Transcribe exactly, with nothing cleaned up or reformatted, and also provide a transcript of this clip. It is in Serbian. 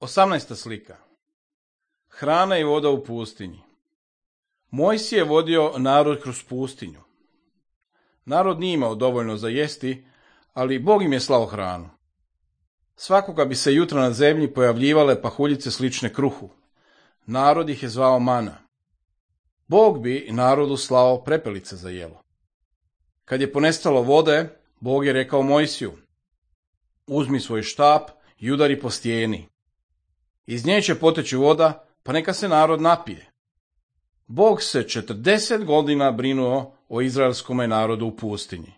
Osamnaesta slika. Hrana i voda u pustinji. Mojsije je vodio narod kroz pustinju. Narod nije imao dovoljno za jesti, ali Bog im je slao hranu. Svakoga bi se jutra na zemlji pojavljivale pahuljice slične kruhu. Narod ih je zvao mana. Bog bi narodu slao prepelice za jelo. Kad je ponestalo vode, Bog je rekao Mojsiju: uzmi svoj štap i udari po stijeni. Iz nje će poteći voda, pa neka se narod napije. Bog se četrdeset godina brinuo o izraelskome narodu u pustinji.